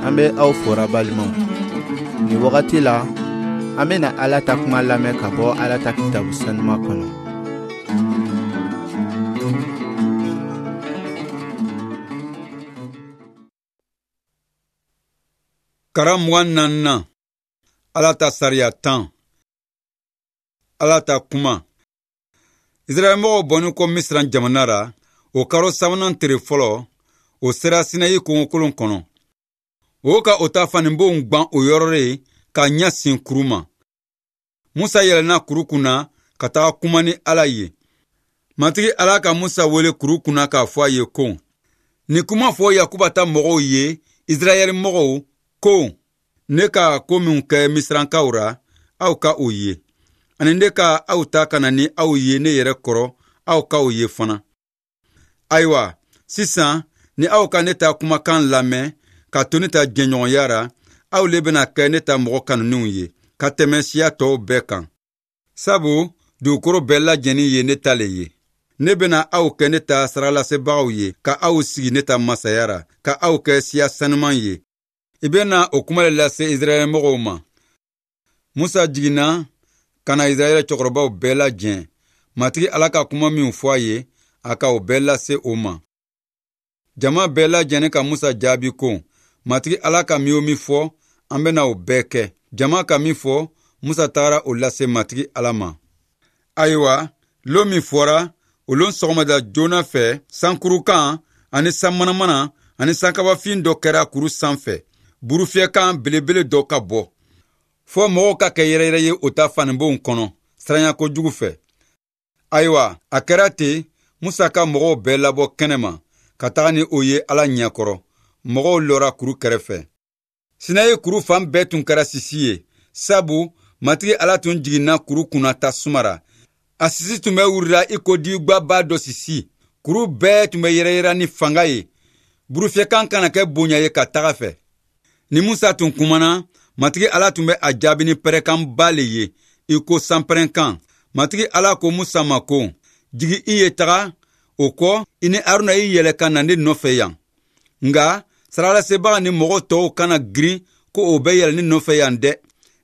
An bɛ aw fora balimaw. Nin wagati la, an bɛna Ala ta kuma lamɛn ka bɔ Ala ta kitabu sanuma kɔnɔ. Karan 24nan, Ala ta sariya 10. Ala ta kuma. Israɛlmɔgɔw bɔnin kɔ Misira jamana ra, o karo sabanan tere fɔlɔ, o sera Sinayi kungokolon kɔnɔ. O ka o ta faninbonw gwan o yɔrɔ le ka ɲɛsin kuru ma. Musa yɛlɛnna kuru kunna ka taga kuma ni Ala ye. Matigi Ala ka Musa wele kuru kunna k'a fɔ a ye ko, nin kuma fɔ Yakuba ta mɔgɔw ye, Israɛl mɔgɔw, ko, ne ka ko minw kɛ Misirankaw ra, aw ka o ye. Ani ne ka aw ta ka na ni aw ye ne yɛrɛ kɔrɔ, aw ka o ye fana. Ayiwa, sisan, ni aw ka ne ta kumakan lamɛn, ka to ne ta jɛɲɔgɔnya ra, aw le bɛna kɛ ne ta mɔgɔ kanuninw ye, ka tɛmɛ siya tɔw bɛɛ kan. Sabu dugukolo bɛɛ lajɛnin ye ne ta le ye. Ne bɛna aw kɛ ne ta sarakalasebagaw ye, ka aw sigi ne ta masaya ra, ka aw kɛ siya sanuman ye. I bɛna o kuma le lase Israɛl mɔgɔw ma. Musa jiginna ka na Israɛl cɛkɔrɔbaw bɛɛ lajɛ. Matigi Ala ka kuma minw fɔ a ye, a ka o bɛɛ lase o ma. Jama bɛɛ lajɛlen ka Musa jaabi ko, Matigi Ala ka min o min fɔ, an bɛna o bɛɛ kɛ. Jama ka min fɔ, Musa tagara o lase Matigi Ala ma. Ayiwa, lon min fɔra, o lon sɔgɔmada joona fɛ, sankurukan ani sanmanamana ani sankabafin dɔ kɛra kuru sanfɛ, burufiyɛkan belebele dɔ ka bɔ. Fɔ mɔgɔw ka kɛ yɛrɛyɛrɛ ye o ta faninbonw kɔnɔ, siranya kojugu fɛ. Ayiwa, a kɛra ten, Musa ka mɔgɔw bɛɛ labɔ kɛnɛma, ka taga ni o ye Ala ɲɛkɔrɔ. Mɔgɔw lɔra kuru kɛrɛfɛ. Sinayi kuru fan bɛɛ tun kɛra sisi ye, sabu Matigi Ala tun jiginna kuru kunna tasuma ra. A sisi tun bɛ wurila i ko dibigbaba dɔ sisi. Kuru bɛɛ tun bɛ yɛrɛyɛrɛ ni fanga ye. Burufiyɛkan kana kɛ bonya ye ka taga fɛ. Ni Musa tun kumana, Matigi Ala tun bɛ a jaabi ni pɛrɛkanba le ye, i ko sanpɛrɛnkan. Matigi Ala ko Musa ma ko, jigi i ye taga, o kɔ i ni Aruna i yɛlɛ ka na ne nɔfɛ yan. Nka sarakalasebaa ni mɔgɔ tɔw kana girin ko o bɛ yɛlɛ ne nɔfɛ yan dɛ.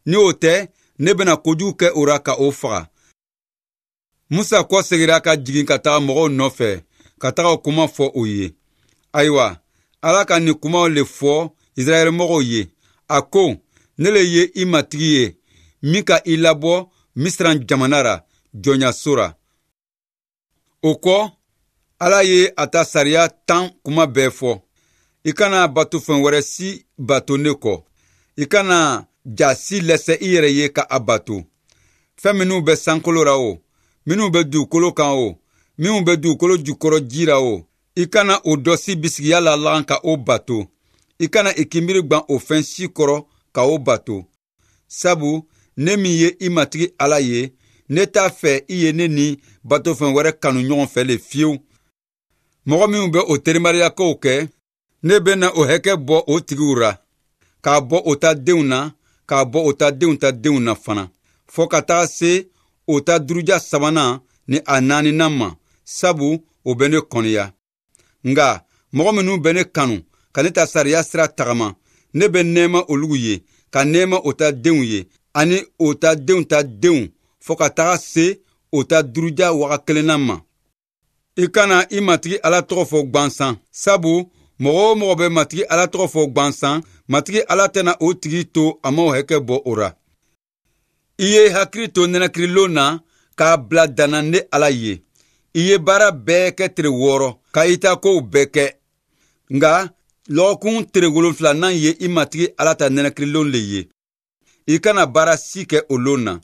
Ni o tɛ, ne bɛna kojugu kɛ o ra ka o faga. Musa kɔ segira ka jigin ka taga mɔgɔw nɔfɛ, ka taga o kuma fɔ o ye. Ayiwa, Ala ka nin kumaw le fɔ Israɛl mɔgɔw ye. A ko, ne le ye i matigi ye, min ka i labɔ Misira jamana ra, jɔnyaso ra. O kɔ, Ala ye a ta sariya 10 kuma bɛɛ fɔ. I kana batofɛn wɛrɛ si bato ne kɔ. I kana ja si lɛsɛ i yɛrɛ ye ka a bato. Fɛn minnu bɛ sankolo ra o, minnu bɛ dugukolo kan o, minnu bɛ dugukolo jukɔrɔ ji ra o, i kana o dɔ si bisigiya la lagan ka o bato. I kana i kinbiri gwan o fɛn si kɔrɔ ka o bato. Sabu ne min ye i matigi Ala ye, ne t'a fɛ i ye ne ni batofɛn wɛrɛ kanu ɲɔgɔn fɛ le fiyewu. Mɔgɔ minnu bɛ o terimariyakow kɛ, ne bɛna o hakɛ bɔ o tigiw ra, k'a bɔ o ta denw na, k'a bɔ o ta denw ta denw na fana, fɔ ka taga se o ta duruja sabanan ni a naaninan ma, sabu o bɛ ne kɔniya. Nka mɔgɔ minnu bɛ ne kanu ka ne ta sariya sira tagama, ne bɛ nɛɛma olugu ye, ka nɛɛma o ta denw ye, ani o ta denw ta denw, fɔ ka taga se o ta duruja waga kelenna ma. I kana i matigi Ala tɔgɔ fɔ gwansan, sabu mɔgɔ o mɔgɔ bɛ matigi Ala tɔgɔ fɔ gwansan, matigi Ala tɛna o tigi to a ma o hakɛ bɔ o ra. I ye hakili to nɛnɛkirilon na k'a bila danna ne Ala ye. I ye baara bɛɛ kɛ tere 6 ka i ta kow bɛɛ kɛ. Nka lɔgɔkun tere 7nan ye i matigi Ala ta nɛnɛkirilon le ye. I kana baara si kɛ o lon na.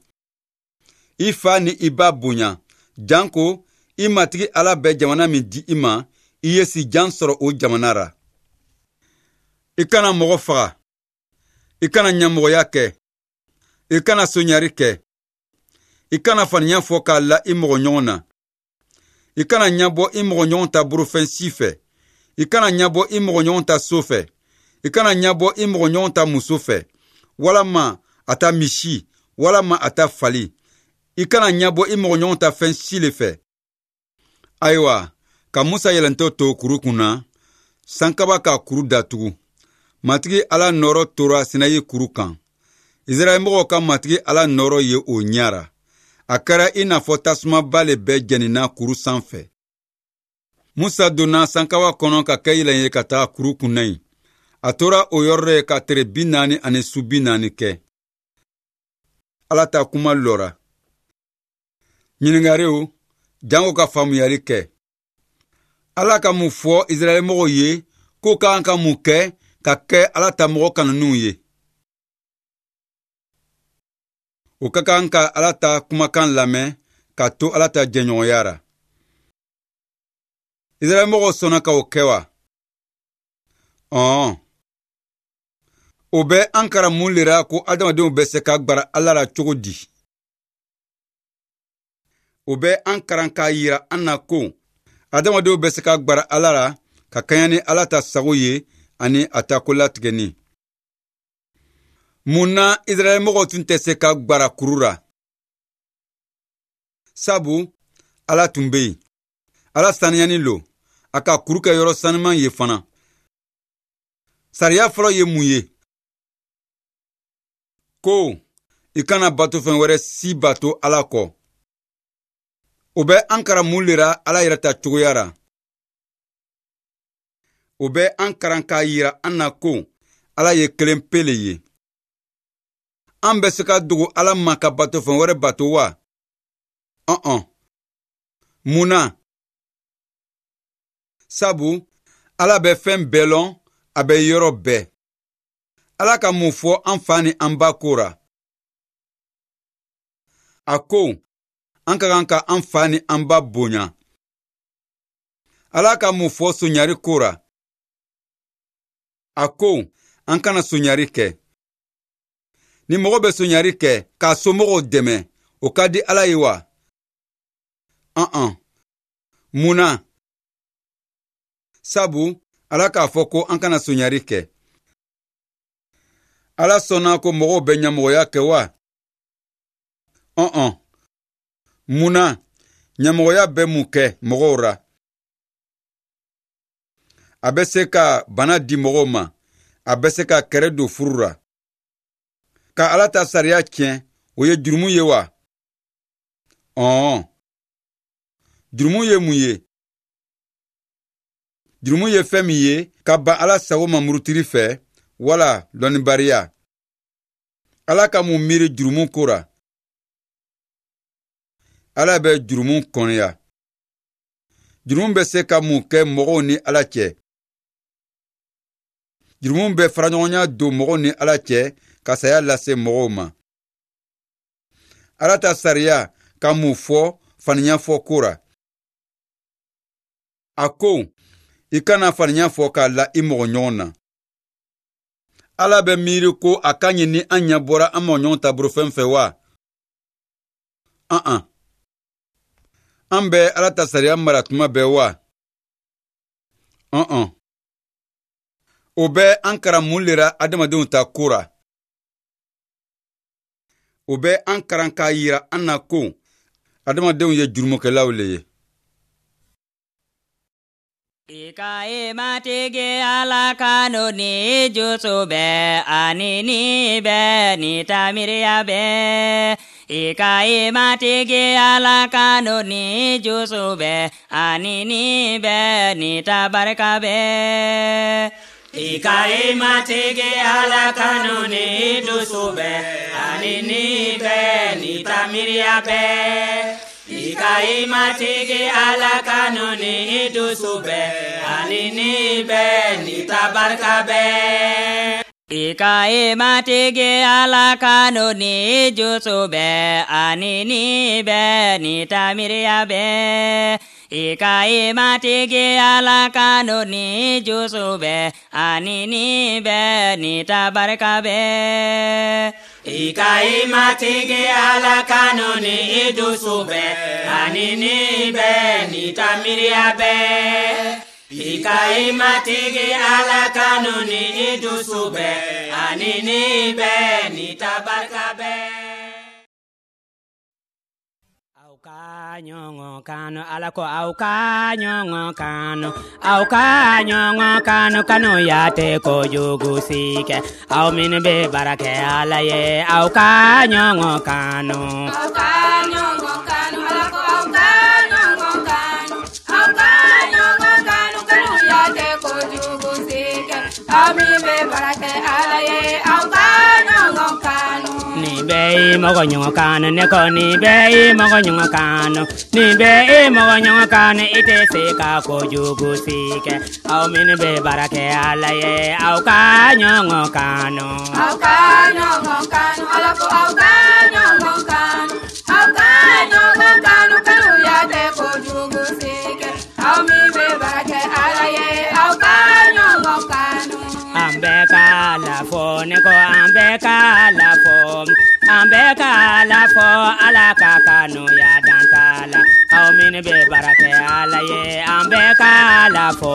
I fa ni i ba bonya, janko i matigi Ala bɛ jamana min di i ma, i ye si jan sɔrɔ o jamana ra. I kana mɔgɔ faga. I kana ɲamɔgɔya kɛ. I kana soɲari kɛ. I kana faniya fɔ k'a la i mɔgɔ ɲɔgɔn na. I kana ɲabɔ i mɔgɔ ɲɔgɔn ta borofɛn si fɛ. I kana ɲabɔ i mɔgɔ ɲɔgɔn ta so fɛ. I kana ɲabɔ i mɔgɔ ɲɔgɔn ta muso fɛ, walama a ta misi, walama a ta fali. I kana ɲabɔ i mɔgɔ ɲɔgɔn ta fɛn si le fɛ. Ayiwa, ka Musa yɛlɛntɔ to kuru kunna, sankaba ka kuru datugu. Matigi Ala nɔɔrɔ tora Sinayi kuru kan. Israɛlmɔgɔw ka Matigi Ala nɔɔrɔ ye o ɲɛ ra. A kɛra i n'a fɔ tasumaba le bɛ jɛnina kuru sanfɛ. Musa donna sankawa kɔnɔ ka kɛ yɛlɛn ye ka taga kuru kunna yen. A tora o yɔrɔ ye ka tere 40 ani su 40 kɛ. Ala ta kuma lɔra. Ɲininkariw jango ka faamuyali kɛ. Ala ka mun fɔ Israɛlmɔgɔw ye k'o ka kan ka mun kɛ ka kɛ Ala ta mɔgɔ kanuninw ye? O ka kan ka Ala ta kumakan lamɛn ka to Ala ta jɛɲɔgɔnya ra. Israɛlmɔgɔw sɔnna ka o kɛ wa? Ɔn. O bɛ an karan mun le ra ko adamadenw bɛ se ka gbara Ala la cogo di? O bɛ an karan k'a yira an na ko adamadenw bɛ se ka gbara Ala la ka kaɲa ni Ala ta sago ye ani a ta ko latigɛni. Mun na Israɛlmɔgɔw tun tɛ se ka gbara kuru ra? Sabu Ala tun bɛ yen. Ala saniyani lo, a ka kuru kɛ yɔrɔ sanuman ye fana. Sariya fɔlɔ ye mun ye? Ko i kana batofɛn wɛrɛ si bato Ala kɔ. O bɛ an karan mun le ra Ala yɛrɛ ta cogoya ra? O bɛ an karan k'a yira an na ko Ala ye kelen pe le ye. An bɛ se ka dogo Ala ma ka batofɛn wɛrɛ bato wa? Ɔn. Mun na? Sabu Ala bɛ fɛn bɛɛ lɔn, a bɛ yɔrɔ bɛɛ. Ala ka mun fɔ an fa ni an ba ko ra? A ko an ka kan ka an fa ni an ba bonya. Ala ka mun fɔ soɲari ko ra? A ko an kana soɲari kɛ. Ni mɔgɔ bɛ soɲari kɛ k'a somɔgɔw dɛmɛ, o ka di Ala ye wa? Ɔn. Mun na? Sabu Ala k'a fɔ ko an kana soɲari kɛ. Ala sɔnna ko mɔgɔw bɛ ɲɛmɔgɔya kɛ wa? Ɔn. Mun na? Ɲɛmɔgɔya bɛ mun kɛ mɔgɔw ra? A bɛ se ka bana di mɔgɔw ma, a bɛ se ka kɛrɛ don furu ra. Ka Ala ta sariya tiɲɛ, o ye jurumu ye wa? Ɔn. Jurumu ye mun ye? Jurumu ye fɛn min ye ka ban Ala sago ma murutili fɛ wala lɔnnibariya. Ala ka mun miiri jurumu ko ra? Ala bɛ jurumu kɔniya. Jurumu bɛ se ka mun kɛ mɔgɔw ni Ala cɛ? Jurumu bɛ faraɲɔgɔnya don mɔgɔw ni Ala cɛ ka saya lase mɔgɔw ma. Ala ta sariya ka mun fɔ faniya fɔ ko ra? A ko i kana faniya fɔ k'a la i mɔgɔ ɲɔgɔn na. Ala bɛ miiri ko a ka ɲi ni an ɲɛ bɔra an mɔgɔ ɲɔgɔn taburufɛn fɛ wa? An. An bɛ Ala ta sariya mara tuma bɛɛ wa? Ɔn. O bɛ an karan mun le ra adamadenw ta ko ra? O bɛ an karan k'a yira an na ko adamadenw ye jurumukɛlaw le ye. I ka i Matigi Ala kanu ni jusu bɛɛ ani ni bɛɛ ni ta miiriya bɛɛ. I ka i Matigi Ala kanu ni jusu bɛɛ ani ni bɛɛ ni ta barika bɛɛ. I ka i Matigi Ala kanu ni dusu bɛɛ ani ni bɛɛ ni ta miiriya bɛɛ. I ka i Matigi Ala kanu ni dusu bɛɛ ani ni bɛɛ ni ta barika bɛɛ. I ka i Matigi Ala kanu ni jusu bɛɛ ani ni bɛɛ ni ta miiriya bɛɛ. I ka i Matigi Ala kanu ni jusu bɛɛ ani ni bɛɛ ni ta barika bɛɛ. I ka i Matigi Ala kanu ni dusu bɛɛ ani ni bɛɛ ni ta miiriya bɛɛ. I ka i Matigi Ala kanu ni dusu bɛɛ ani ni bɛɛ ni ta barika bɛɛ. Aw ka Ka ɲɔgɔn kanu, Ala ko aw ka ɲɔgɔn kanu, aw ka ɲɔgɔn kanu, kanuya tɛ kojugu si kɛ. Aw minnu bɛ baara kɛ Ala ye, aw ka ɲɔgɔn kanu. Aw ka ɲɔgɔn kanu, Ala ko aw ka ɲɔgɔn kanu, aw ka ɲɔgɔn kanu, kanuya tɛ kojugu si kɛ. Aw min bɛ baara kɛ Ala ye, aw ka ɲɔgɔn kanu. Ni bɛɛ ye mɔgɔ ɲɔgɔn kanu, ne ko ni bɛɛ ye mɔgɔ ɲɔgɔn kanu, ni bɛɛ ye mɔgɔ ɲɔgɔn kanu, i tɛ se ka kojugu si kɛ. Aw minnu bɛ baara kɛ Ala ye, aw ka ɲɔgɔn kanu. Aw ka ɲɔgɔn kanu, Ala ko aw ka ɲɔgɔn kanu, aw ka ɲɔgɔn kanu, kanuya tɛ kojugu si kɛ. Aw min bɛ baara kɛ Ala ye, aw ka ɲɔgɔn kanu. An bɛɛ ka la fɔ, ne ko an bɛɛ ka la fɔ, an bɛɛ ka la fɔ, Ala ka kanuya dan t'a la. Aw minnu bɛ baara kɛ Ala ye, an bɛɛ ka la fɔ.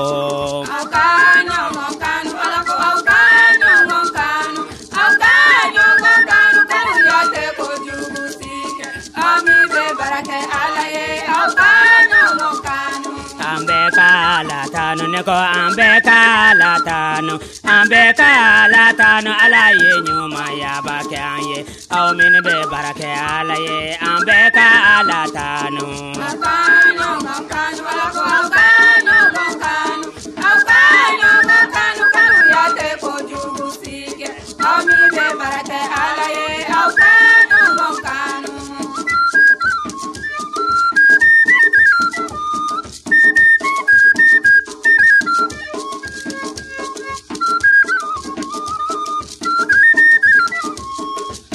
Aw ka ɲɔgɔn kanu, Ala ko aw ka ɲɔgɔn kanu, aw ka ɲɔgɔn kanu, kanuya tɛ kojugu si kɛ. Aw min bɛ baara kɛ Ala ye, aw ka ɲɔgɔn kanu. An bɛɛ ka la tanu, ne ko an bɛɛ ka la tanu, an bɛɛ ka la tanu, Ala ye ɲumanyaba kɛ an ye. Aw minnu bɛ baara kɛ Ala ye, an bɛɛ ka la tanu. Aw ka ɲɔgɔn kanu, Ala ko aw ka ɲɔgɔn kanu, aw ka ɲɔgɔn kanu, kanuya tɛ kojugu si kɛ. Aw min bɛ baara kɛ Ala ye, aw ka ɲɔgɔn kanu.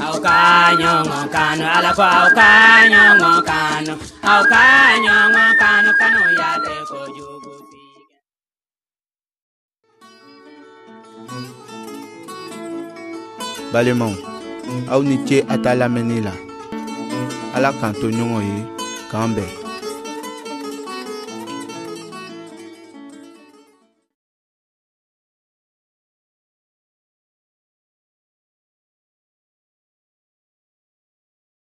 Aw ka ɲɔgɔn kanu, Ala ko aw ka ɲɔgɔn kanu, aw ka ɲɔgɔn kanu, kanuya tɛ kojugu si kɛ. Balimaw, aw ni ce a ta lamɛnni la. Ala k'an to ɲɔgɔn ye, k'an bɛn.